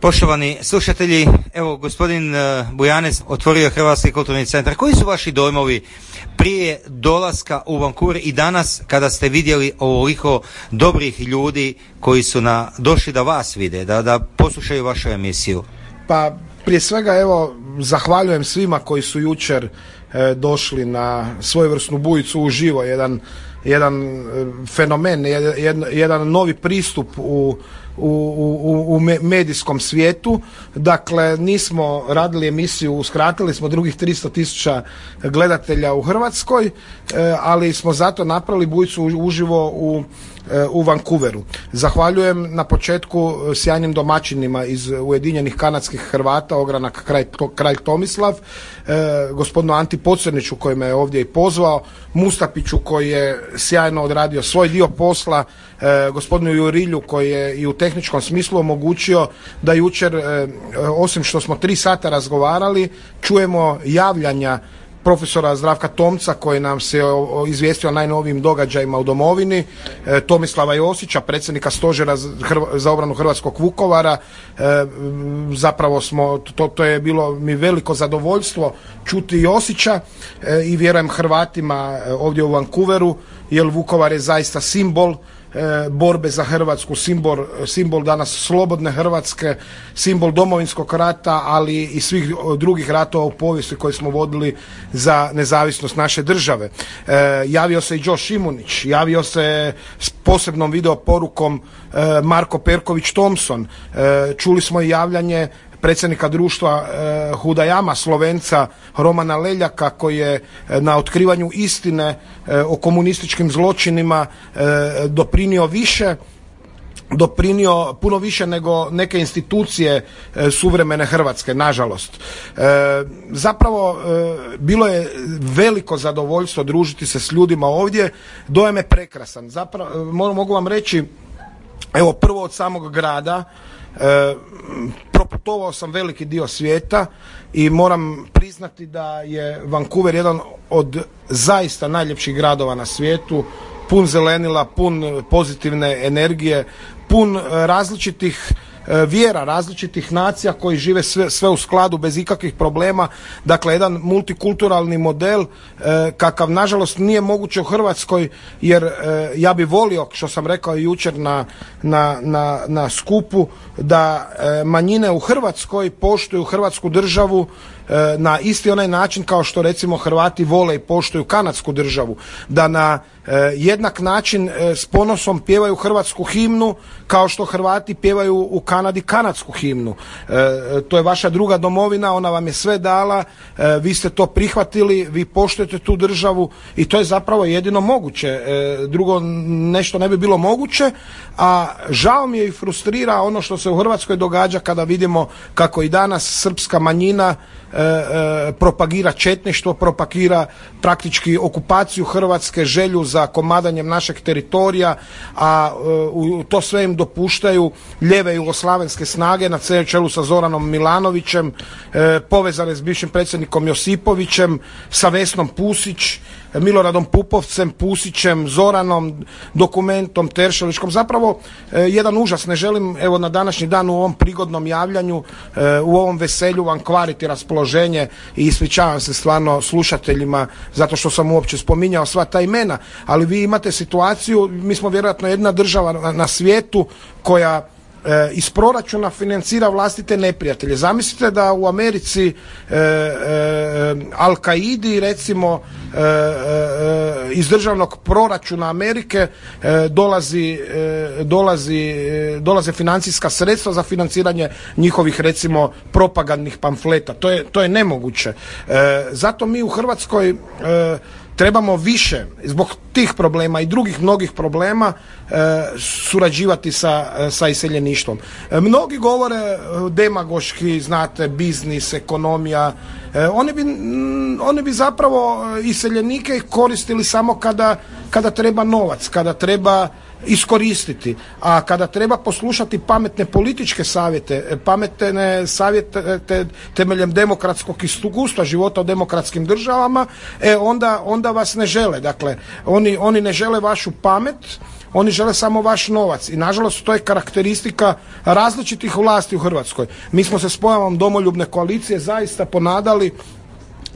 Poštovani slušatelji, evo gospodin Bujanec otvorio Hrvatski kulturni centar. Koji su vaši dojmovi prije dolaska u Vancouver i danas kada ste vidjeli ovoliko dobrih ljudi koji su došli da vas vide, da poslušaju vašu emisiju? Pa prije svega evo zahvaljujem svima koji su jučer došli na svojevrsnu bujicu uživo, jedan fenomen, jedan novi pristup u medijskom svijetu. Dakle, nismo radili emisiju, uskratili smo drugih 300,000 gledatelja u Hrvatskoj, ali smo zato napravili bujicu uživo u Vancouveru. Zahvaljujem na početku sjajnim domaćinima iz Ujedinjenih kanadskih Hrvata, ogranak Kralj Tomislav, gospodinu Anti Pocrniću koji me je ovdje i pozvao, Mustapiću koji je sjajno odradio svoj dio posla, gospodinu Jurilju koji je i u tehničkom smislu omogućio da jučer, osim što smo 3 sata razgovarali, čujemo javljanja profesora Zdravka Tomca koji nam se izvijestio o najnovijim događajima u domovini, Tomislava Josića, predsjednika Stožera za obranu Hrvatskog Vukovara. Zapravo to je bilo mi veliko zadovoljstvo čuti Josića i vjerujem Hrvatima ovdje u Vancouveru, jer Vukovar je zaista simbol borbe za Hrvatsku, simbol danas slobodne Hrvatske, simbol Domovinskog rata, ali i svih drugih ratova u povijesti koje smo vodili za nezavisnost naše države. Javio se i Joe Šimunić, javio se s posebnom video porukom Marko Perković Thompson, čuli smo i javljanje predsjednika društva Hudajama, Slovenca Romana Leljaka koji je na otkrivanju istine o komunističkim zločinima doprinio puno više nego neke institucije suvremene Hrvatske, nažalost. Zapravo bilo je veliko zadovoljstvo družiti se s ljudima ovdje, dojam je prekrasan. Zapravo mogu vam reći, evo prvo od samog grada, proputovao sam veliki dio svijeta i moram priznati da je Vancouver jedan od zaista najljepših gradova na svijetu, pun zelenila, pun pozitivne energije, pun različitih vjera, različitih nacija koji žive sve u skladu bez ikakvih problema. Dakle, jedan multikulturalni model kakav nažalost nije moguće u Hrvatskoj, jer ja bi volio, što sam rekao jučer na skupu, da manjine u Hrvatskoj poštuju Hrvatsku državu na isti onaj način kao što recimo Hrvati vole i poštuju kanadsku državu, da na jednak način s ponosom pjevaju hrvatsku himnu kao što Hrvati pjevaju u Kanadi kanadsku himnu. To je vaša druga domovina, ona vam je sve dala, vi ste to prihvatili, vi poštujete tu državu i to je zapravo jedino moguće. Drugo nešto ne bi bilo moguće, a žao mi je i frustrira ono što se u Hrvatskoj događa kada vidimo kako i danas srpska manjina propagira četništvo, propagira praktički okupaciju Hrvatske, želju za komadanjem našeg teritorija, a to sve im dopuštaju lijeve jugoslavenske snage na čelu sa Zoranom Milanovićem, povezane s bivšim predsjednikom Josipovićem, sa Vesnom Pusić, Miloradom Pupovcem, Pusićem, Zoranom, Dokumentom, Teršeličkom. Zapravo jedan užas. Ne želim evo na današnji dan u ovom prigodnom javljanju, u ovom veselju vam kvariti raspoloženje i ispričavam se stvarno slušateljima zato što sam uopće spominjao sva ta imena, ali vi imate situaciju, mi smo vjerojatno jedna država na svijetu koja iz proračuna financira vlastite neprijatelje. Zamislite da u Americi Al-Kaidi recimo iz državnog proračuna Amerike dolaze financijska sredstva za financiranje njihovih recimo propagandnih pamfleta. To je nemoguće. Zato mi u Hrvatskoj trebamo više, zbog tih problema i drugih mnogih problema, surađivati sa iseljeništvom. Mnogi govore demagoški, znate, biznis, ekonomija. Oni bi zapravo iseljenike koristili samo kada treba novac, kada treba iskoristiti, a kada treba poslušati pametne političke savjete, pametne savjete temeljem demokratskog iskustva života u demokratskim državama, onda vas ne žele. Dakle, oni ne žele vašu pamet, oni žele samo vaš novac i nažalost to je karakteristika različitih vlasti u Hrvatskoj. Mi smo se s pojavom Domoljubne koalicije zaista ponadali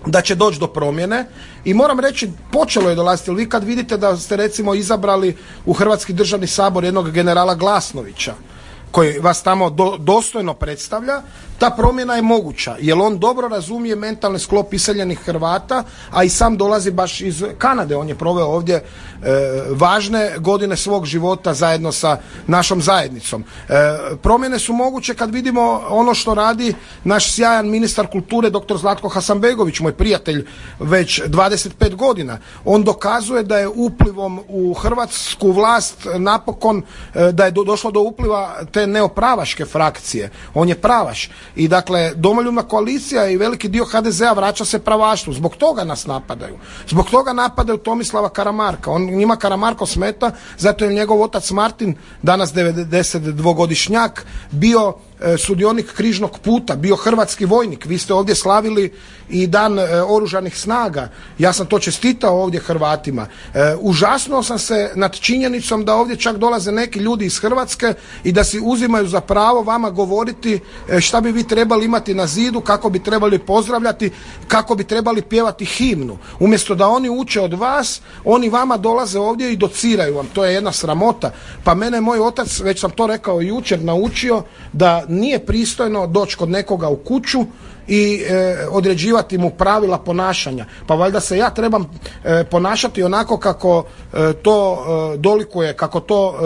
da će doći do promjene i moram reći počelo je dolaziti, vi kad vidite da ste recimo izabrali u Hrvatski državni sabor jednog generala Glasnovića koji vas tamo dostojno predstavlja, ta promjena je moguća, jer on dobro razumije mentalni sklop iseljenih Hrvata, a i sam dolazi baš iz Kanade, on je proveo ovdje važne godine svog života zajedno sa našom zajednicom. Promjene su moguće kad vidimo ono što radi naš sjajan ministar kulture dr. Zlatko Hasanbegović, moj prijatelj već 25 godina. On dokazuje da je uplivom u hrvatsku vlast napokon, da je došlo do upliva te neopravaške frakcije. On je pravaš. I dakle, Domoljubna koalicija i veliki dio HDZ-a vraća se pravaštvu. Zbog toga nas napadaju. Zbog toga napadaju Tomislava Karamarka. Njima Karamarko smeta, zato je njegov otac Martin, danas 92-godišnjak, bio sudionik križnog puta, bio hrvatski vojnik. Vi ste ovdje slavili i dan oružanih snaga. Ja sam to čestitao ovdje Hrvatima. Užasnuo sam se nad činjenicom da ovdje čak dolaze neki ljudi iz Hrvatske i da si uzimaju za pravo vama govoriti šta bi vi trebali imati na zidu, kako bi trebali pozdravljati, kako bi trebali pjevati himnu. Umjesto da oni uče od vas, oni vama dolaze ovdje i dociraju vam. To je jedna sramota. Pa mene moj otac, već sam to rekao jučer, naučio da nije pristojno doći kod nekoga u kuću i određivati mu pravila ponašanja. Pa valjda se ja trebam ponašati onako kako to dolikuje, kako to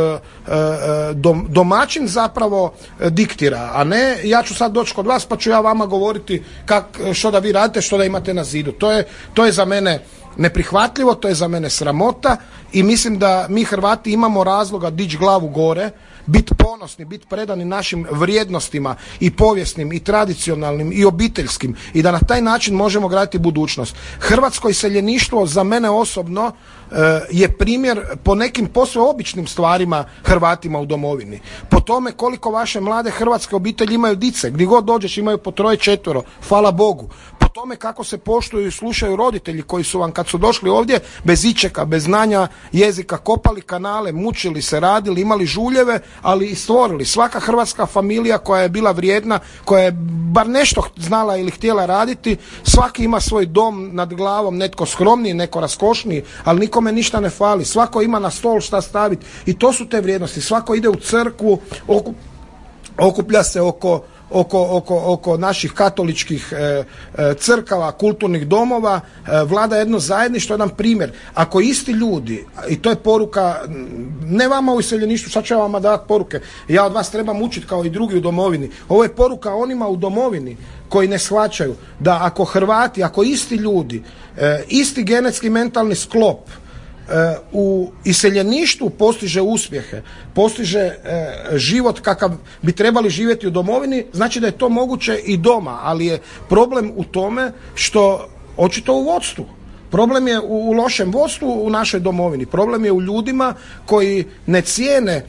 domaćin zapravo diktira, a ne ja ću sad doći kod vas pa ću ja vama govoriti što da vi radite, što da imate na zidu. To je za mene neprihvatljivo, to je za mene sramota i mislim da mi Hrvati imamo razloga dići glavu gore, biti ponosni, biti predani našim vrijednostima i povijesnim i tradicionalnim i obiteljskim i da na taj način možemo graditi budućnost. Hrvatsko iseljeništvo za mene osobno je primjer po nekim posve običnim stvarima Hrvatima u domovini. Po tome koliko vaše mlade hrvatske obitelji imaju dice, gdje god dođeš imaju po 3-4, hvala Bogu. Po tome kako se poštuju i slušaju roditelji koji su vam kad su došli ovdje bez ičeka, bez znanja jezika, kopali kanale, mučili se, radili, imali žuljeve, ali i stvorili. Svaka hrvatska familija koja je bila vrijedna, koja je bar nešto znala ili htjela raditi, svaki ima svoj dom nad glavom, netko skromniji, neko raskošniji, ali nikome ništa ne fali. Svako ima na stol šta staviti i to su te vrijednosti. Svako ide u crkvu, okuplja se oko naših katoličkih crkava, kulturnih domova, vlada jedno zajedništvo, jedan primjer. Ako isti ljudi, i to je poruka, ne vama u iseljeništvu, sad ću ja vama davati poruke, ja od vas trebam učiti kao i drugi u domovini. Ovo je poruka onima u domovini koji ne shvaćaju da ako Hrvati, ako isti ljudi, isti genetski mentalni sklop u iseljeništvu postiže uspjehe, postiže život kakav bi trebali živjeti u domovini, znači da je to moguće i doma, ali je problem u tome što očito u vodstvu. Problem je u lošem vodstvu u našoj domovini. Problem je u ljudima koji ne cijene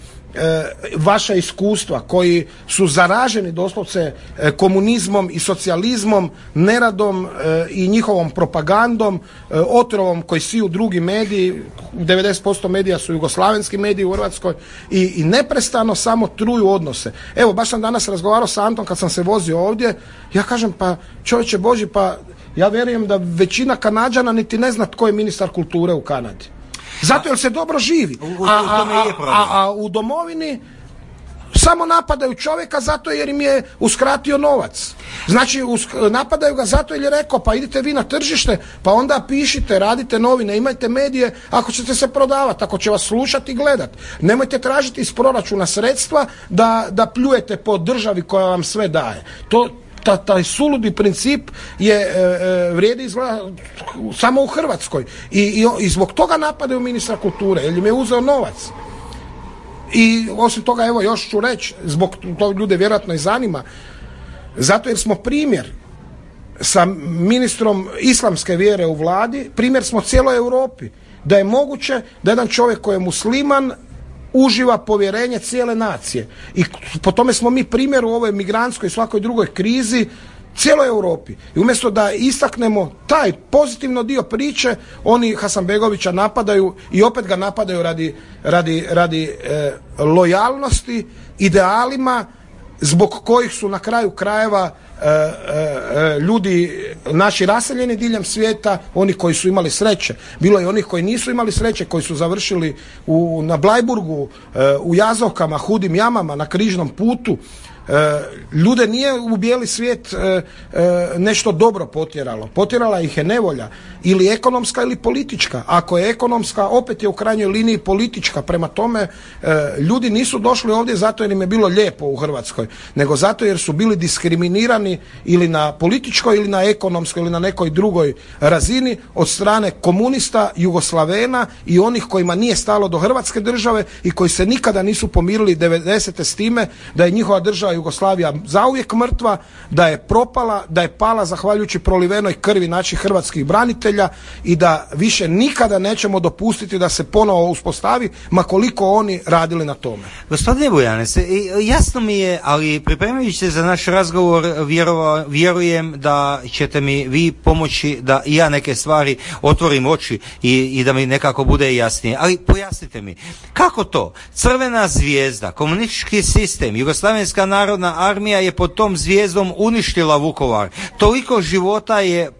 vaša iskustva, koji su zaraženi doslovce komunizmom i socijalizmom, neradom i njihovom propagandom, otrovom koji siju drugi mediji, 90% medija su jugoslavenski mediji u Hrvatskoj i neprestano samo truju odnose. Evo, baš sam danas razgovarao sa Antom kad sam se vozio ovdje, ja kažem pa čovječe Boži, pa ja vjerujem da većina Kanađana niti ne zna tko je ministar kulture u Kanadi. Zato jer se dobro živi. A u domovini samo napadaju čovjeka zato jer im je uskratio novac. Znači napadaju ga zato jer je rekao pa idite vi na tržište, pa onda pišite, radite novine, imajte medije ako ćete se prodavati, ako će vas slušati i gledati. Nemojte tražiti iz proračuna sredstva da pljujete po državi koja vam sve daje. Taj suludi princip vrijedi izgleda samo u Hrvatskoj i zbog toga napadaju ministra kulture jer im je uzeo novac. I osim toga, evo još ću reći, zbog to ljude vjerojatno i zanima, zato jer smo primjer sa ministrom islamske vjere u vladi, primjer smo cijeloj Europi, da je moguće da jedan čovjek koji je musliman uživa povjerenje cijele nacije. I po tome smo mi primjer u ovoj migrantskoj i svakoj drugoj krizi cijeloj Europi. I umjesto da istaknemo taj pozitivno dio priče, oni Hasanbegovića napadaju i opet ga napadaju radi lojalnosti, idealima zbog kojih su na kraju krajeva ljudi naši raseljeni diljem svijeta, oni koji su imali sreće. Bilo je onih koji nisu imali sreće, koji su završili na Blajburgu, u Jazovkama, hudim jamama, na križnom putu. Ljude nije u bijeli svijet nešto dobro potjeralo. Potjerala ih je nevolja, ili ekonomska ili politička. Ako je ekonomska, opet je u krajnjoj liniji politička. Prema tome, ljudi nisu došli ovdje zato jer im je bilo lijepo u Hrvatskoj, nego zato jer su bili diskriminirani ili na političkoj ili na ekonomskoj ili na nekoj drugoj razini od strane komunista, Jugoslavena i onih kojima nije stalo do Hrvatske države i koji se nikada nisu pomirili 90. s time da je njihova država Jugoslavija zauvijek mrtva, da je propala, da je pala zahvaljujući prolivenoj krvi naših hrvatskih branitelja i da više nikada nećemo dopustiti da se ponovo uspostavi, ma koliko oni radili na tome. Gospodine Bujanes, jasno mi je, ali pripremajući se za naš razgovor vjerujem da ćete mi vi pomoći da i ja neke stvari otvorim oči i da mi nekako bude jasnije. Ali pojasnite mi, kako to? Crvena zvijezda, komunistički sistem, Jugoslavenska narodna armija je pod tom zvijezdom uništila Vukovar. Toliko života je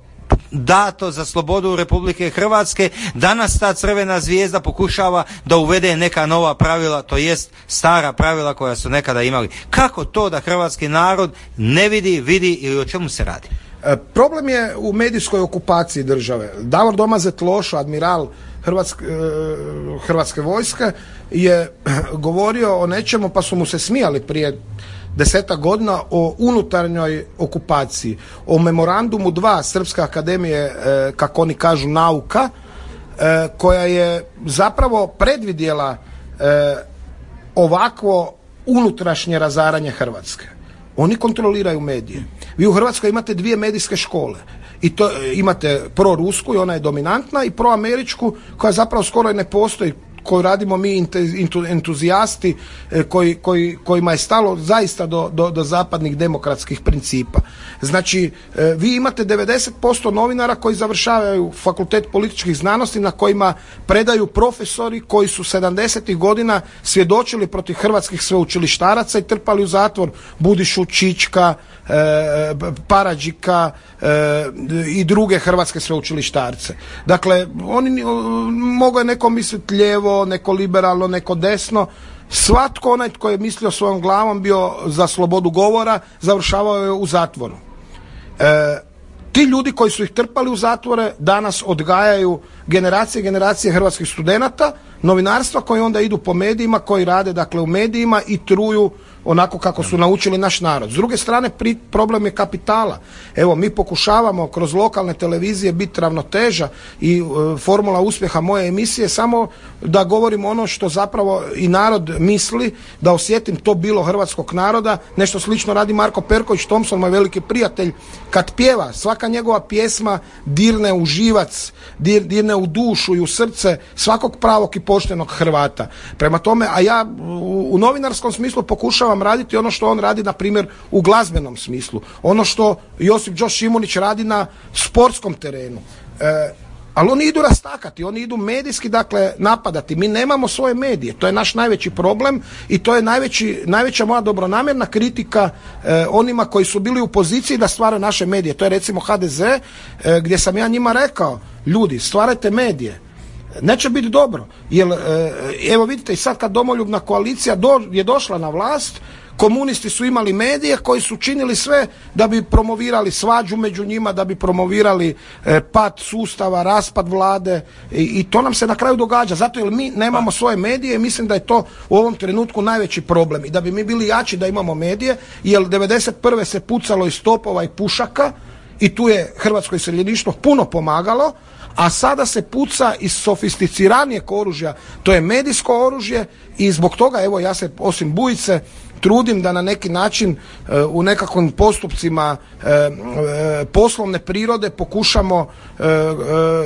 dato za slobodu Republike Hrvatske. Danas ta crvena zvijezda pokušava da uvede neka nova pravila, to jest stara pravila koja su nekada imali. Kako to da hrvatski narod ne vidi ili o čemu se radi? Problem je u medijskoj okupaciji države. Davor Domazet Lošo, admiral Hrvatske vojske, je govorio o nečemu, pa su mu se smijali prije 10 godina, o unutarnjoj okupaciji, o memorandumu 2 Srpske akademije, kako oni kažu, nauka, koja je zapravo predvidjela ovakvo unutrašnje razaranje Hrvatske. Oni kontroliraju medije. Vi u Hrvatskoj imate 2 medijske škole. I to imate prorusku i ona je dominantna, i proameričku koja zapravo skoro i ne postoji, koju radimo mi entuzijasti kojima je stalo zaista do zapadnih demokratskih principa. Znači, vi imate 90% novinara koji završavaju fakultet političkih znanosti, na kojima predaju profesori koji su 70. godina svjedočili protiv hrvatskih sveučilištaraca i trpali u zatvor Budišu, Čička, Paradžika i druge hrvatske sveučilištarce. Dakle, mogao je neko misliti lijevo, neko liberalno, neko desno. Svatko onaj tko je mislio svojom glavom, bio za slobodu govora, završavao je u zatvoru. Ti ljudi koji su ih trpali u zatvore danas odgajaju generacije hrvatskih studenata novinarstva, koji onda idu po medijima, koji rade dakle u medijima i truju onako kako su naučili naš narod. S druge strane, problem je kapitala. Evo, mi pokušavamo kroz lokalne televizije biti ravnoteža i formula uspjeha moje emisije samo da govorim ono što zapravo i narod misli, da osjetim to bilo hrvatskog naroda. Nešto slično radi Marko Perković Thompson, moj veliki prijatelj. Kad pjeva, svaka njegova pjesma dirne u živac, dirne u dušu i u srce svakog pravog i poštenog Hrvata. Prema tome, a ja u novinarskom smislu pokušavam raditi ono što on radi, na primjer, u glazbenom smislu. Ono što Josip Đo Šimunić radi na sportskom terenu. Ali oni idu rastakati, oni idu medijski, dakle, napadati. Mi nemamo svoje medije. To je naš najveći problem i to je najveća moja dobronamjerna kritika onima koji su bili u poziciji da stvaraju naše medije. To je recimo HDZ, gdje sam ja njima rekao, ljudi, stvarajte medije. Neće biti dobro, jer evo vidite i sad kad domoljubna koalicija je došla na vlast, komunisti su imali medije koji su činili sve da bi promovirali svađu među njima, da bi promovirali pad sustava, raspad vlade i to nam se na kraju događa, zato jer mi nemamo svoje medije i mislim da je to u ovom trenutku najveći problem i da bi mi bili jači da imamo medije, jer 91. se pucalo iz topova i pušaka i tu je hrvatsko iseljeništvo puno pomagalo, a sada se puca iz sofisticiranijeg oružja, to je medijsko oružje i zbog toga, evo, ja se osim bujice trudim da na neki način u nekakvim postupcima poslovne prirode pokušamo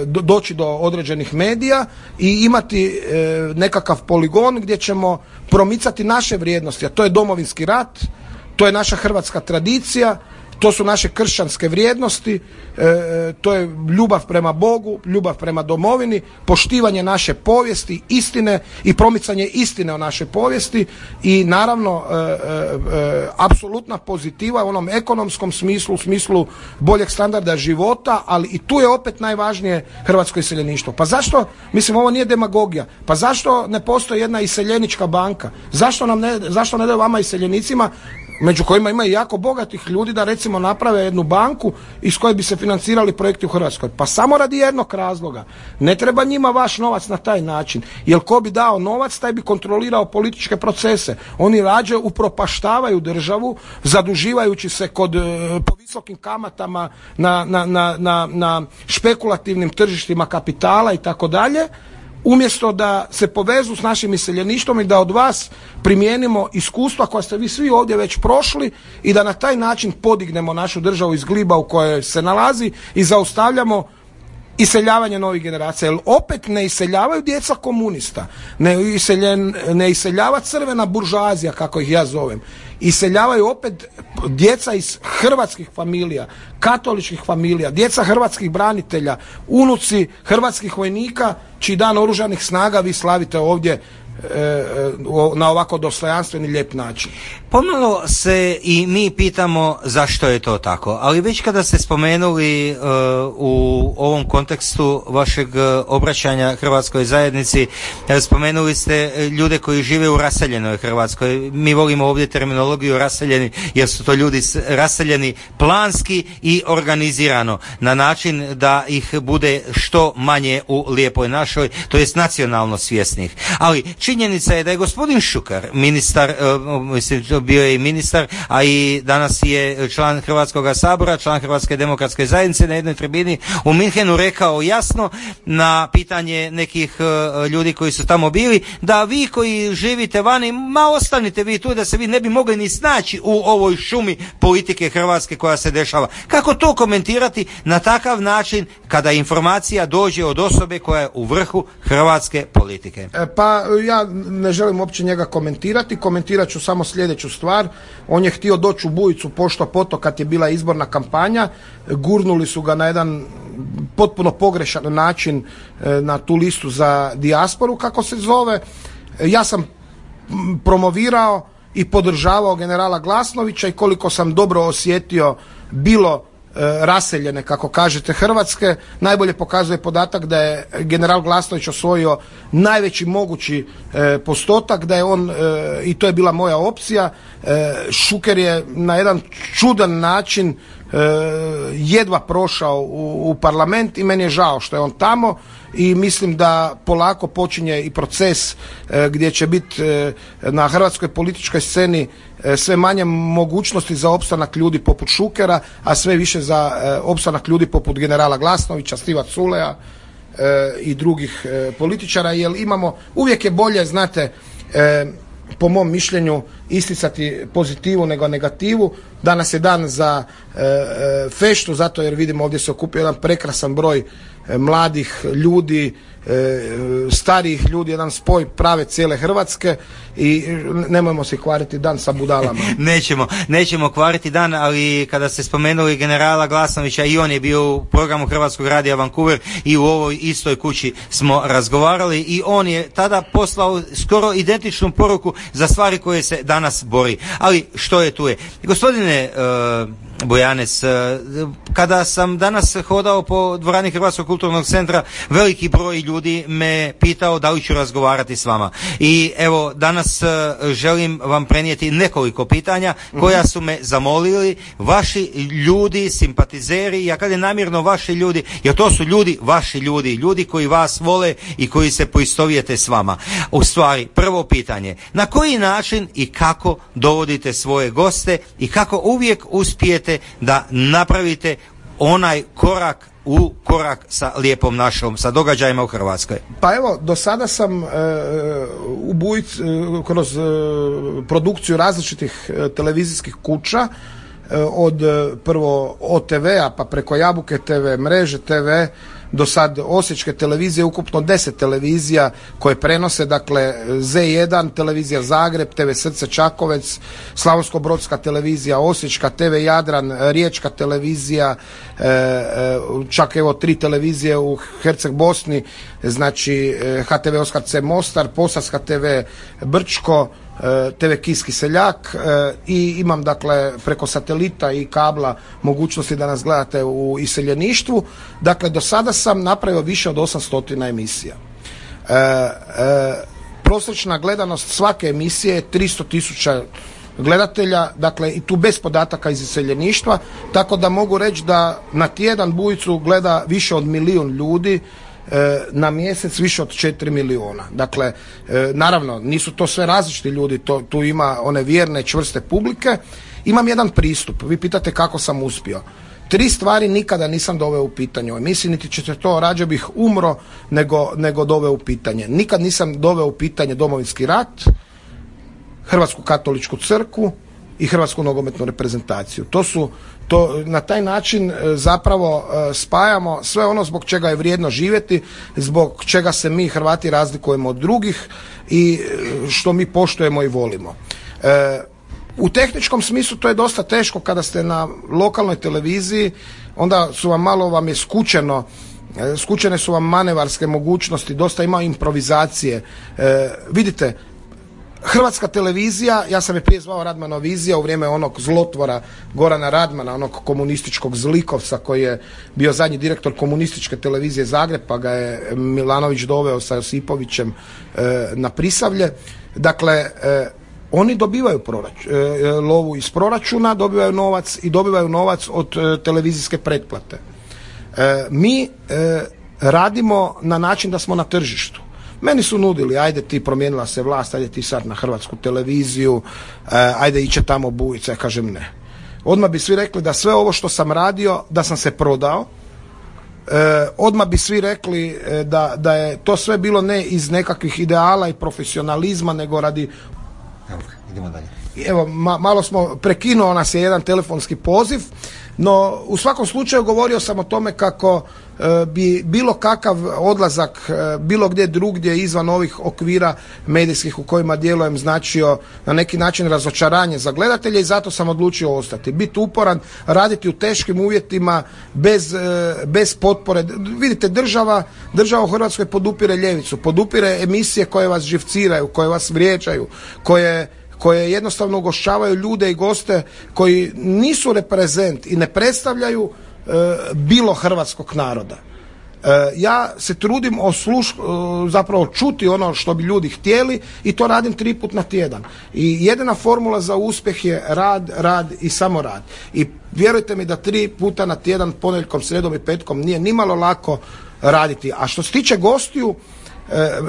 doći do određenih medija i imati nekakav poligon gdje ćemo promicati naše vrijednosti, a to je Domovinski rat, to je naša hrvatska tradicija, To su naše kršćanske vrijednosti, to je ljubav prema Bogu, ljubav prema domovini, poštivanje naše povijesti, istine i promicanje istine o našoj povijesti i naravno apsolutna pozitiva u onom ekonomskom smislu, u smislu boljeg standarda života, ali i tu je opet najvažnije hrvatsko iseljeništvo. Pa zašto, mislim ovo nije demagogija, pa zašto ne postoji jedna iseljenička banka? Zašto ne daju vama iseljenicima, među kojima ima i jako bogatih ljudi, da recimo naprave jednu banku iz koje bi se financirali projekti u Hrvatskoj? Pa samo radi jednog razloga. Ne treba njima vaš novac na taj način. Jer ko bi dao novac, taj bi kontrolirao političke procese. Oni rađe upropaštavaju državu, zaduživajući se po visokim kamatama na špekulativnim tržištima kapitala i tako dalje, umjesto da se povezu s našim iseljeništvom i da od vas primijenimo iskustva koja ste vi svi ovdje već prošli i da na taj način podignemo našu državu iz gliba u kojoj se nalazi i zaustavljamo iseljavanje novih generacija. Jer opet ne iseljavaju djeca komunista, ne iseljava crvena buržoazija, kako ih ja zovem. Iseljavaju opet djeca iz hrvatskih familija, katoličkih familija, djeca hrvatskih branitelja, unuci hrvatskih vojnika čiji dan oružanih snaga vi slavite ovdje na ovako dostojanstveni lijep način. Pomalo se i mi pitamo zašto je to tako, ali već kada ste spomenuli u ovom kontekstu vašeg obraćanja hrvatskoj zajednici, spomenuli ste ljude koji žive u raseljenoj Hrvatskoj. Mi volimo ovdje terminologiju raseljeni, jer su to ljudi raseljeni planski i organizirano, na način da ih bude što manje u lijepoj našoj, to jest nacionalno svjesnih. Ali činjenica je da je gospodin Šuker, ministar, bio je i ministar, a i danas je član Hrvatskog sabora, član Hrvatske demokratske zajednice, na jednoj tribini u Minhenu rekao jasno na pitanje nekih ljudi koji su tamo bili, da vi koji živite vani, ostanite vi tu, da se vi ne bi mogli ni snaći u ovoj šumi politike Hrvatske koja se dešava. Kako to komentirati na takav način kada informacija dođe od osobe koja je u vrhu hrvatske politike? Pa ja ne želim uopće njega komentirati, komentirat ću samo sljedeću stvar. On je htio doći u Bujicu pošto poto kad je bila izborna kampanja, gurnuli su ga na jedan potpuno pogrešan način na tu listu za dijasporu, kako se zove. Ja sam promovirao i podržavao generala Glasnovića i koliko sam dobro osjetio bilo raseljene, kako kažete, Hrvatske, najbolje pokazuje podatak da je general Glasnović osvojio najveći mogući postotak, da je on, i to je bila moja opcija, Šuker je na jedan čudan način jedva prošao u parlament i meni je žao što je on tamo i mislim da polako počinje i proces gdje će biti na hrvatskoj političkoj sceni sve manje mogućnosti za opstanak ljudi poput Šukera, a sve više za opstanak ljudi poput generala Glasnovića, Stiva Culeja i drugih političara, jer imamo, uvijek je bolje, znate, po mom mišljenju isticati pozitivu nego negativu. Danas je dan za feštu, zato jer vidimo ovdje se okupio jedan prekrasan broj mladih ljudi, starijih ljudi, jedan spoj prave cijele Hrvatske i nemojmo se kvariti dan sa budalama. Nećemo kvariti dan, ali kada ste spomenuli generala Glasnovića, i on je bio u programu Hrvatskog radija Vancouver i u ovoj istoj kući smo razgovarali i on je tada poslao skoro identičnu poruku za stvari koje se danas bori. Ali što je tu je? Gospodine Bujanes, kada sam danas hodao po dvorani Hrvatskog kulturnog centra, veliki broj ljudi me pitao da li ću razgovarati s vama. I evo, danas želim vam prenijeti nekoliko pitanja koja su me zamolili vaši ljudi, simpatizeri, ja kažem namjerno vaši ljudi, jer to su ljudi, vaši ljudi, ljudi koji vas vole i koji se poistovijete s vama. U stvari, prvo pitanje, na koji način i kako dovodite svoje goste i kako uvijek uspijete da napravite onaj korak u korak sa lijepom našom, sa događajima u Hrvatskoj? Pa evo, do sada sam u Bujici kroz produkciju različitih televizijskih kuća, od prvo OTV-a pa preko Jabuke TV, Mreže TV, do sad osječke televizije, ukupno 10 televizija koje prenose, dakle Z1, televizija Zagreb, TV Srce Čakovec, Slavonsko-brodska televizija Osječka, TV Jadran, Riječka televizija, čak evo 3 televizije u Herceg Bosni, znači HTV Oskar C Mostar, Posavska TV Brčko, TV Kiski Seljak i imam dakle preko satelita i kabla mogućnosti da nas gledate u iseljeništvu. Dakle, do sada sam napravio više od 800 emisija. Prosječna gledanost svake emisije je 300.000 gledatelja, dakle i tu bez podataka iz iseljeništva, tako da mogu reći da na tjedan Bujicu gleda više od 1 milijun ljudi, na mjesec više od 4 milijuna. Dakle, naravno, nisu to sve različiti ljudi, tu ima one vjerne, čvrste publike. Imam jedan pristup, vi pitate kako sam uspio. 3 stvari nikada nisam doveo u pitanje u emisiji, niti ćete to, rađe bih umro nego doveo u pitanje. Nikad nisam doveo u pitanje Domovinski rat, Hrvatsku katoličku crkvu i Hrvatsku nogometnu reprezentaciju. Na taj način zapravo spajamo sve ono zbog čega je vrijedno živjeti, zbog čega se mi Hrvati razlikujemo od drugih i što mi poštujemo i volimo. U tehničkom smislu to je dosta teško kada ste na lokalnoj televiziji, onda vam je skučene su vam manevarske mogućnosti, dosta ima improvizacije. Vidite, Hrvatska televizija, ja sam je prije zvao Radmanovizija u vrijeme onog zlotvora Gorana Radmana, onog komunističkog zlikovca koji je bio zadnji direktor komunističke televizije Zagreb, pa ga je Milanović doveo sa Josipovićem na Prisavlje. Dakle, oni dobivaju lovu iz proračuna, dobivaju novac i dobivaju novac od televizijske pretplate. Mi radimo na način da smo na tržištu. Meni su nudili, ajde ti, promijenila se vlast, ajde ti sad na Hrvatsku televiziju, ajde iće tamo Bujica, ja kažem ne. Odmah bi svi rekli da sve ovo što sam radio, da sam se prodao, odmah bi svi rekli da je to sve bilo ne iz nekakvih ideala i profesionalizma, nego radi... Idemo dalje. Evo, malo smo, prekinuo nas je jedan telefonski poziv, no u svakom slučaju govorio sam o tome kako bi bilo kakav odlazak bilo gdje drugdje izvan ovih okvira medijskih u kojima djelujem značio na neki način razočaranje za gledatelje i zato sam odlučio ostati. Biti uporan, raditi u teškim uvjetima bez potpore. Vidite, država u Hrvatskoj podupire ljevicu, podupire emisije koje vas živciraju, koje vas vrijeđaju, koje jednostavno ugošćavaju ljude i goste koji nisu reprezent i ne predstavljaju bilo hrvatskog naroda. Ja se trudim zapravo čuti ono što bi ljudi htjeli i to radim 3 puta na tjedan. I jedina formula za uspjeh je rad i samo rad. I vjerujte mi da 3 puta na tjedan, ponedjeljkom, srijedom i petkom nije nimalo lako raditi. A što se tiče gostiju,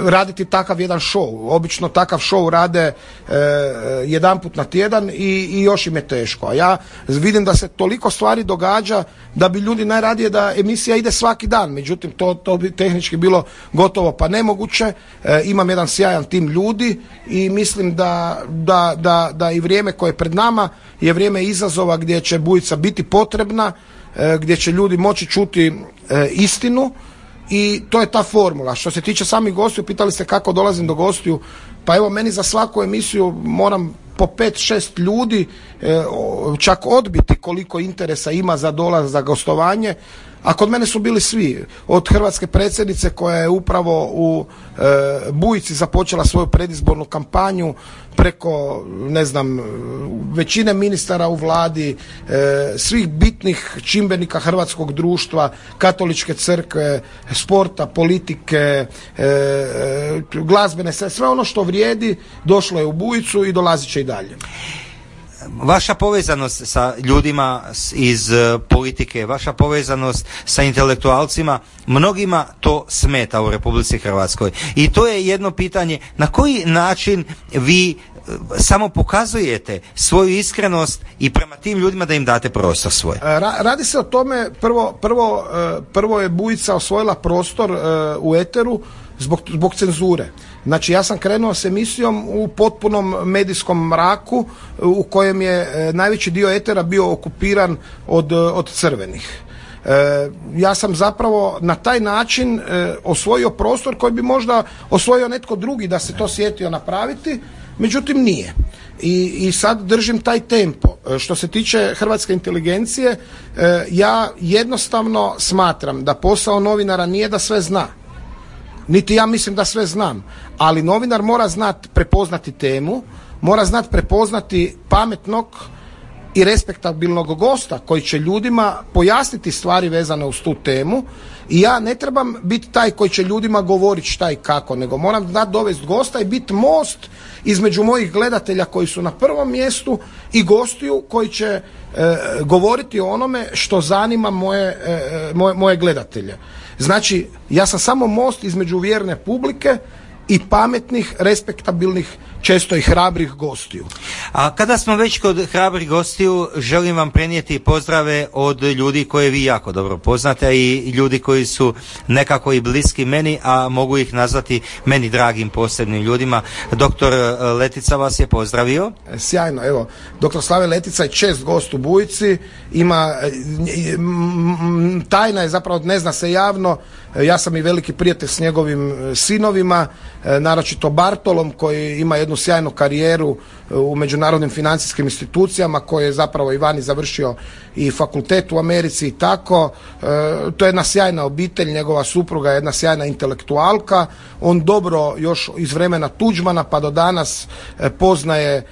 raditi takav jedan show. Obično takav show rade jedanput na tjedan i još im je teško. A ja vidim da se toliko stvari događa da bi ljudi najradije da emisija ide svaki dan. Međutim, to bi tehnički bilo gotovo pa nemoguće. Imam jedan sjajan tim ljudi i mislim da i vrijeme koje je pred nama je vrijeme izazova gdje će Bujica biti potrebna, gdje će ljudi moći čuti istinu. I to je ta formula. Što se tiče samih gostiju, pitali ste kako dolazim do gostiju, pa evo meni za svaku emisiju moram po 5-6 ljudi čak odbiti koliko interesa ima za dolaz, za gostovanje, a kod mene su bili svi, od hrvatske predsjednice koja je upravo u Bujici započela svoju predizbornu kampanju, preko, ne znam, većine ministara u vladi, svih bitnih čimbenika hrvatskog društva, katoličke crkve, sporta, politike, glazbene, sve ono što vrijedi došlo je u Bujicu i dolazit će i dalje. Vaša povezanost sa ljudima iz politike, vaša povezanost sa intelektualcima, mnogima to smeta u Republici Hrvatskoj. I to je jedno pitanje, na koji način vi samo pokazujete svoju iskrenost i prema tim ljudima da im date prostor svoj? Radi se o tome, prvo je Bujica osvojila prostor u eteru zbog cenzure. Znači, ja sam krenuo s emisijom u potpunom medijskom mraku u kojem je najveći dio etera bio okupiran od crvenih. Ja sam zapravo na taj način osvojio prostor koji bi možda osvojio netko drugi da se to sjetio napraviti, međutim nije. I sad držim taj tempo. Što se tiče hrvatske inteligencije, ja jednostavno smatram da posao novinara nije da sve zna. Niti ja mislim da sve znam, ali novinar mora znati prepoznati temu, mora znati prepoznati pametnog i respektabilnog gosta koji će ljudima pojasniti stvari vezane uz tu temu, i ja ne trebam biti taj koji će ljudima govoriti šta i kako, nego moram znati dovesti gosta i biti most između mojih gledatelja koji su na prvom mjestu i gostiju koji će govoriti o onome što zanima moje gledatelje. Znači, ja sam samo most između vjerne publike i pametnih, respektabilnih, često i hrabrih gostiju. A kada smo već kod hrabrih gostiju, želim vam prenijeti pozdrave od ljudi koje vi jako dobro poznate i ljudi koji su nekako i bliski meni, a mogu ih nazvati meni dragim posebnim ljudima. Doktor Letica vas je pozdravio. Sjajno, evo, doktor Slave Letica je čest gost u Bujici, ima, tajna je zapravo, ne zna se javno, ja sam i veliki prijatelj s njegovim sinovima, naročito Bartolom koji ima jednu sjajnu karijeru u međunarodnim financijskim institucijama, koji je zapravo i vani završio i fakultet u Americi i tako. To je jedna sjajna obitelj, njegova supruga je jedna sjajna intelektualka, on dobro još iz vremena Tuđmana pa do danas poznaje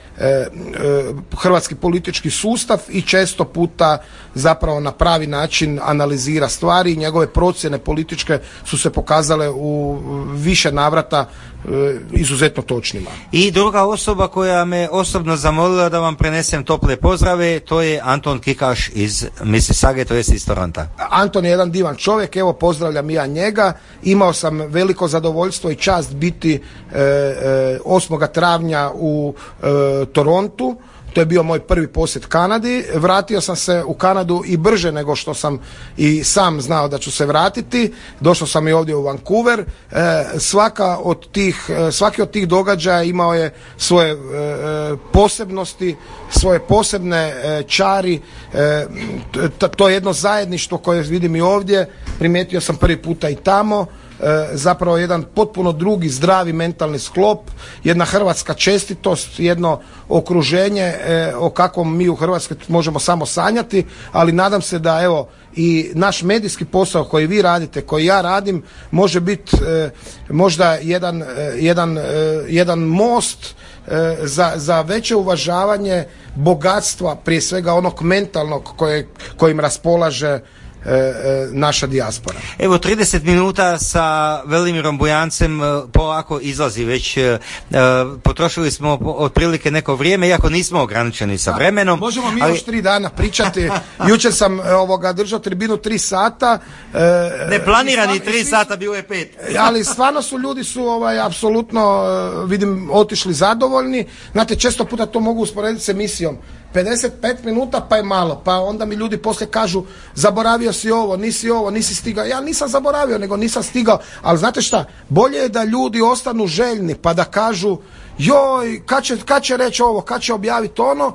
hrvatski politički sustav i često puta zapravo na pravi način analizira stvari i njegove procjene političke su se pokazale u više navrata izuzetno točnima. I druga osoba koja me osobno zamolila da vam prenesem tople pozdrave, to je Anton Kikaš iz Mississauge, to jest iz Toronta. Anton je jedan divan čovjek, evo pozdravljam ja njega. Imao sam veliko zadovoljstvo i čast biti 8. travnja u Torontu. To je bio moj prvi posjet Kanadi. Vratio sam se u Kanadu i brže nego što sam i sam znao da ću se vratiti. Došao sam i ovdje u Vancouver. Svaki od tih događaja imao je svoje posebnosti, svoje posebne čari. To je jedno zajedništvo koje vidim i ovdje. Primijetio sam prvi puta i tamo. Zapravo jedan potpuno drugi zdravi mentalni sklop, jedna hrvatska čestitost, jedno okruženje o kakvom mi u Hrvatskoj možemo samo sanjati, ali nadam se da evo i naš medijski posao koji vi radite, koji ja radim, može biti možda jedan most za veće uvažavanje bogatstva, prije svega onog mentalnog kojim raspolaže naša dijaspora. Evo 30 minuta sa Velimirom Bujancem polako izlazi već, potrošili smo otprilike neko vrijeme, iako nismo ograničeni sa vremenom. Možemo mi još 3 dana pričati. Jučer sam držao tribinu 3 sata. Neplanirani 3 sata, bilo je 5. Ali stvarno ljudi su apsolutno vidim otišli zadovoljni. Znate, često puta to mogu usporediti s emisijom. 55 minuta pa je malo, pa onda mi ljudi poslije kažu zaboravio si ovo, nisi stigao. Ja nisam zaboravio, nego nisam stigao, ali znate šta, bolje je da ljudi ostanu željni pa da kažu joj, kad će reći ovo, kad će objaviti ono,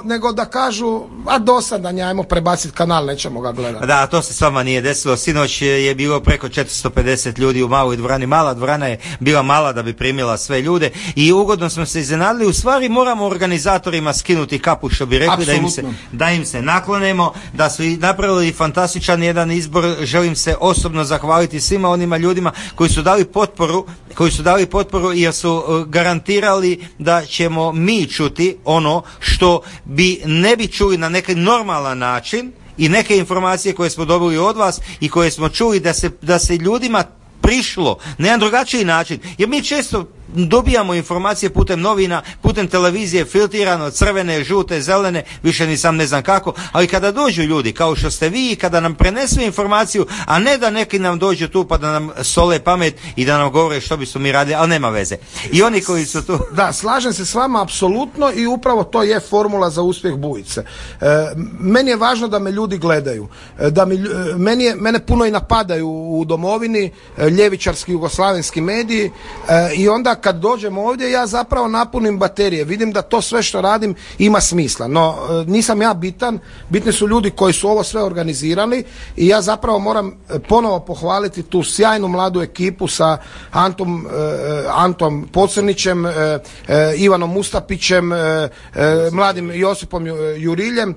nego da kažu, a dosadan, ajmo prebaciti kanal, nećemo ga gledati. Da, to se s vama nije desilo. Sinoć je bilo preko 450 ljudi u maloj dvorani. Mala dvorana je bila mala da bi primila sve ljude i ugodno smo se iznenadili. U stvari moramo organizatorima skinuti kapu, što bi rekli, da im se naklonemo, da su napravili fantastičan jedan izbor. Želim se osobno zahvaliti svima onima ljudima koji su dali potporu jer su garantirali da ćemo mi čuti ono što ne bi čuli na neki normalan način i neke informacije koje smo dobili od vas i koje smo čuli da se ljudima prišlo na jedan drugačiji način, jer mi često dobijamo informacije putem novina, putem televizije, filtrirano, crvene, žute, zelene, više ni sam ne znam kako, ali kada dođu ljudi kao što ste vi, kada nam prenesu informaciju, a ne da neki nam dođu tu pa da nam sole pamet i da nam govore što bi su mi radili, ali nema veze. I oni koji su tu... Da, slažem se s vama apsolutno i upravo to je formula za uspjeh Bujice. Meni je važno da me ljudi gledaju, mene puno i napadaju u domovini, ljevičarski jugoslavenski mediji, i onda kad dođem ovdje ja zapravo napunim baterije, vidim da to sve što radim ima smisla, no nisam ja bitan, bitni su ljudi koji su ovo sve organizirali i ja zapravo moram ponovo pohvaliti tu sjajnu mladu ekipu sa Antom Pocrnićem, Ivanom Mustapićem, mladim Josipom Juriljem,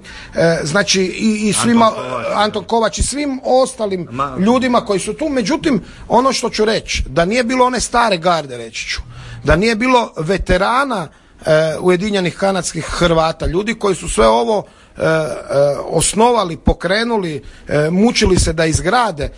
znači i svima, Anton Kovač i svim ostalim ljudima koji su tu. Međutim, ono što ću reći, da nije bilo one stare garde, reći ću, da nije bilo veterana Ujedinjenih kanadskih Hrvata, ljudi koji su sve ovo osnovali, pokrenuli, mučili se da izgrade,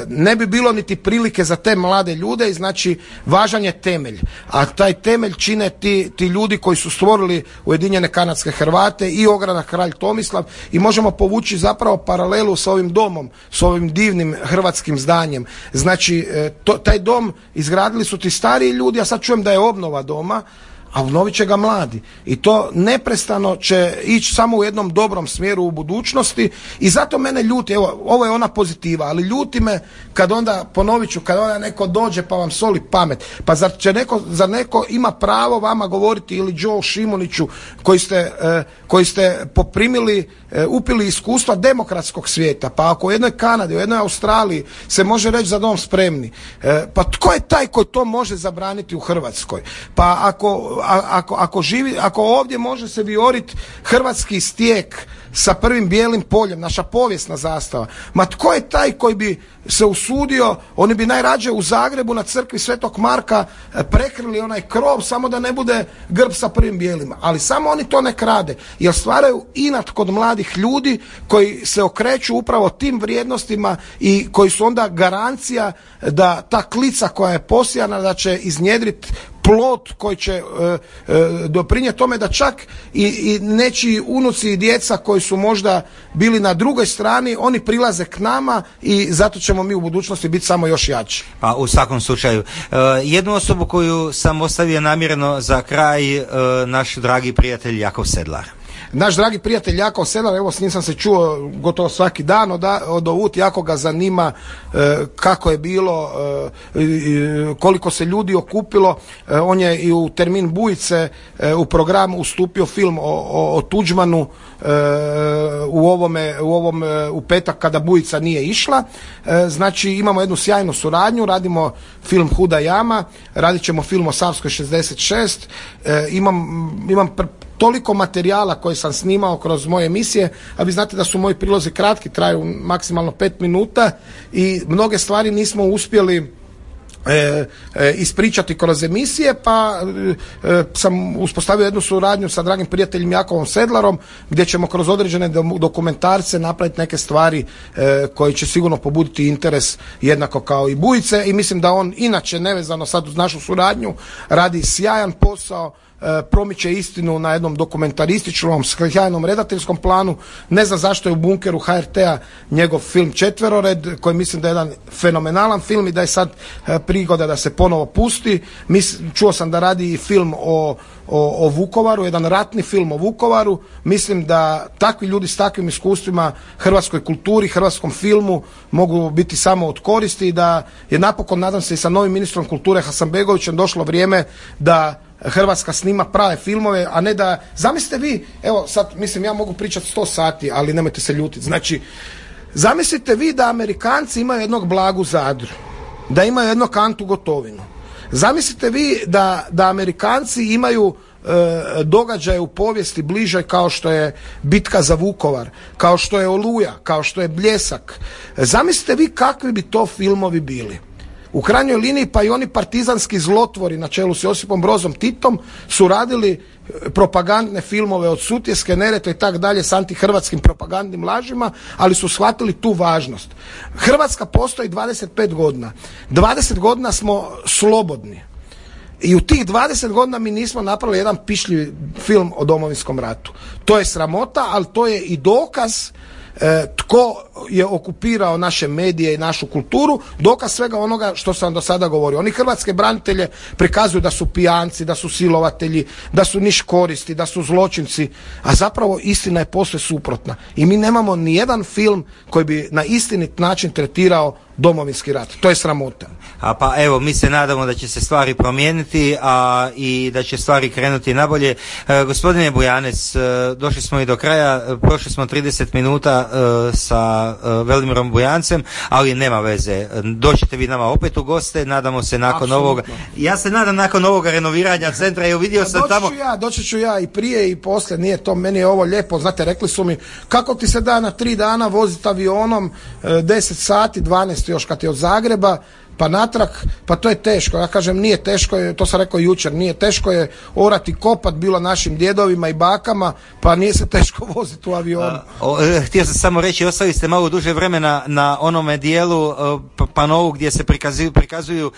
ne bi bilo niti prilike za te mlade ljude i znači važan je temelj, a taj temelj čine ti ljudi koji su stvorili Ujedinjene kanadske Hrvate i ogranak Kralj Tomislav i možemo povući zapravo paralelu sa ovim domom, s ovim divnim hrvatskim zdanjem. Znači taj dom izgradili su ti stariji ljudi, a sad čujem da je obnova doma, a obnovit će ga mladi. I to neprestano će ići samo u jednom dobrom smjeru u budućnosti i zato mene ljuti, evo, ovo je ona pozitiva, ali ljuti me kad onda, ponovit ću, kad onda neko dođe pa vam soli pamet. Pa zar neko ima pravo vama govoriti ili Joe Šimuniću koji ste poprimili, upili iskustva demokratskog svijeta, pa ako u jednoj Kanadi, u jednoj Australiji se može reći za dom spremni, pa tko je taj koji to može zabraniti u Hrvatskoj? Pa ako ovdje može se vijoriti hrvatski stijek sa prvim bijelim poljem, naša povijesna zastava, ma tko je taj koji bi se usudio, oni bi najrađe u Zagrebu na crkvi Svetog Marka prekrili onaj krov samo da ne bude grb sa prvim bijelima, ali samo oni to ne rade, jer stvaraju inat kod mladih ljudi koji se okreću upravo tim vrijednostima i koji su onda garancija da ta klica koja je posijana da će iznjedriti plod koji će doprinijeti tome da čak i nečiji unuci i djeca koji su možda bili na drugoj strani, oni prilaze k nama i zato ćemo mi u budućnosti biti samo još jači. Pa u svakom slučaju. Jednu osobu koju sam ostavio namjerno za kraj, naš dragi prijatelj Jakov Sedlar. Naš dragi prijatelj Jakov Sedlar, evo s njim sam se čuo gotovo svaki dan od ovut, jako ga zanima kako je bilo, koliko se ljudi okupilo. On je i u termin Bujice u programu ustupio film o Tuđmanu u petak kada Bujica nije išla. Znači imamo jednu sjajnu suradnju, radimo film Huda jama, radit ćemo film o Savskoj 66, imam toliko materijala koje sam snimao kroz moje emisije, a vi znate da su moji prilozi kratki, traju maksimalno 5 minuta i mnoge stvari nismo uspjeli ispričati kroz emisije, pa sam uspostavio jednu suradnju sa dragim prijateljem Jakovom Sedlarom, gdje ćemo kroz određene dokumentarce napraviti neke stvari koji će sigurno pobuditi interes jednako kao i Bujice i mislim da on inače nevezano sad uz našu suradnju radi sjajan posao, promiče istinu na jednom dokumentarističnom, sjajnom redateljskom planu. Ne znam zašto je u bunkeru HRT-a njegov film Četverored, koji mislim da je jedan fenomenalan film i da je sad prigoda da se ponovo pusti. Čuo sam da radi i film o Vukovaru, jedan ratni film o Vukovaru. Mislim da takvi ljudi s takvim iskustvima hrvatskoj kulturi, hrvatskom filmu mogu biti samo od koristi i da je napokon, nadam se i sa novim ministrom kulture Hasanbegovićem, došlo vrijeme da Hrvatska snima prave filmove, a ne da, zamislite vi, evo sad, mislim ja mogu pričati 100 sati, ali nemojte se ljutiti, znači zamislite vi da Amerikanci imaju jednog Blagu Zadru, da imaju jednog Antu Gotovinu, zamislite vi da Amerikanci imaju događaje u povijesti bližoj kao što je bitka za Vukovar, kao što je Oluja, kao što je Bljesak, zamislite vi kakvi bi to filmovi bili. U krajnjoj liniji pa i oni partizanski zlotvori na čelu s Josipom Brozom Titom su radili propagandne filmove od Sutjeske, Neretve i tak dalje s antihrvatskim propagandnim lažima, ali su shvatili tu važnost. Hrvatska postoji 25 godina. 20 godina smo slobodni. I u tih 20 godina mi nismo napravili jedan pišljiv film o Domovinskom ratu. To je sramota, ali to je i dokaz tko je okupirao naše medije i našu kulturu, dokaz svega onoga što sam do sada govorio. Oni hrvatske branitelje prikazuju da su pijanci, da su silovatelji, da su niš koristi, da su zločinci, a zapravo istina je posve suprotna. I mi nemamo ni jedan film koji bi na istinit način tretirao Domovinski rat. To je sramota. Pa evo, mi se nadamo da će se stvari promijeniti, i da će stvari krenuti nabolje. Gospodine Bujanec, došli smo i do kraja, prošli smo 30 minuta sa Velimirom Bujancem, ali nema veze. Doćete vi nama opet u goste, nadamo se nakon ovoga. Ja se nadam nakon ovoga renoviranja centra, jer vidio sam tamo... Doći ću ja i prije i poslije, nije to, meni je ovo lijepo, znate, rekli su mi, kako ti se da na 3 dana voziti avionom 10 sati, 12 još kad je od Zagreba, pa natrag, pa to je teško. Ja kažem, nije teško, to sam rekao jučer, nije teško je orati kopat bilo našim djedovima i bakama, pa nije se teško voziti u avionu. Htio sam samo reći, ostali ste malo duže vremena na onome dijelu panovu gdje se prikazuju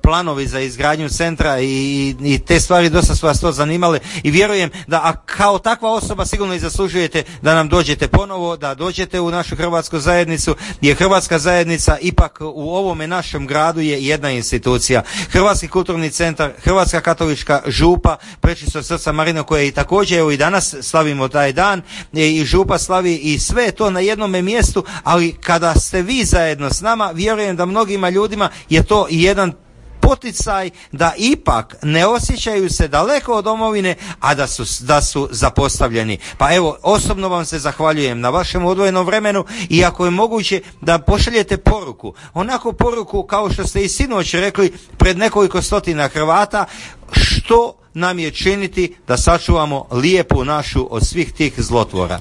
planovi za izgradnju centra i te stvari, dosta su vas to zanimale i vjerujem da kao takva osoba sigurno i zaslužujete da nam dođete ponovo, da dođete u našu hrvatsku zajednicu, jer hrvatska zajednica ipak u ovome našem gradu je jedna institucija. Hrvatski kulturni centar, Hrvatska katolička župa, Prečistog srca Marino, koje i također evo i danas slavimo taj dan, i župa slavi, i sve je to na jednome mjestu, ali kada ste vi zajedno s nama, vjerujem da mnogima ljudima je to jedan poticaj da ipak ne osjećaju se daleko od domovine, a da su zapostavljeni. Pa evo, osobno vam se zahvaljujem na vašem odvojenom vremenu, i ako je moguće da pošaljete poruku, onako poruku kao što ste i sinoć rekli pred nekoliko stotina Hrvata, što nam je činiti da sačuvamo lijepu našu od svih tih zlotvora.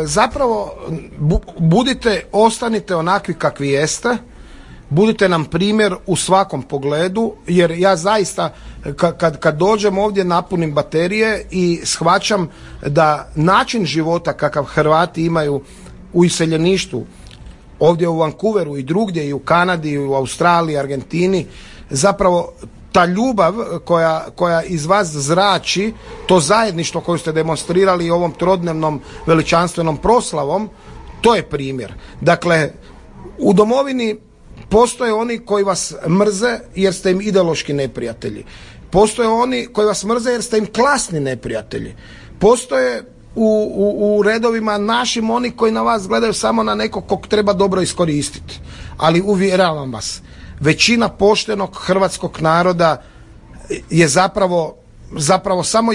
Zapravo ostanite onakvi kakvi jeste, budite nam primjer u svakom pogledu, jer ja zaista kad dođem ovdje napunim baterije i shvaćam da način života kakav Hrvati imaju u iseljeništvu, ovdje u Vancouveru i drugdje, i u Kanadi, i u Australiji, Argentini, zapravo ta ljubav koja iz vas zrači, to zajedništvo koje ste demonstrirali ovom trodnevnom veličanstvenom proslavom, to je primjer. Dakle, u domovini postoje oni koji vas mrze jer ste im ideološki neprijatelji. Postoje oni koji vas mrze jer ste im klasni neprijatelji. Postoje u redovima našim oni koji na vas gledaju samo na nekog kog treba dobro iskoristiti. Ali uvjeravam vas, većina poštenog hrvatskog naroda je zapravo samo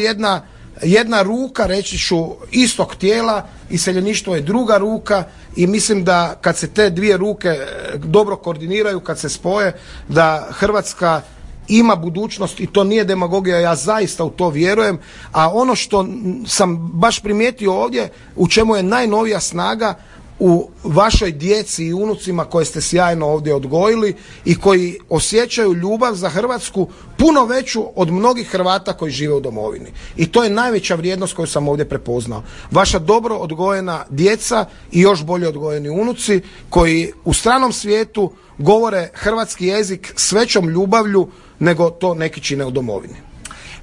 jedna ruka, reći ću, istog tijela, iseljeništvo je druga ruka, i mislim da kad se te dvije ruke dobro koordiniraju, kad se spoje, da Hrvatska ima budućnost, i to nije demagogija, ja zaista u to vjerujem. A ono što sam baš primijetio ovdje, u čemu je najnovija snaga, u vašoj djeci i unucima koje ste sjajno ovdje odgojili i koji osjećaju ljubav za Hrvatsku puno veću od mnogih Hrvata koji žive u domovini. I to je najveća vrijednost koju sam ovdje prepoznao. Vaša dobro odgojena djeca i još bolje odgojeni unuci koji u stranom svijetu govore hrvatski jezik s većom ljubavlju nego to neki čine u domovini.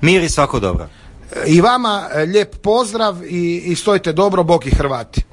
Mir i svako dobro. I vama lijep pozdrav i stojite dobro, Bog i Hrvati.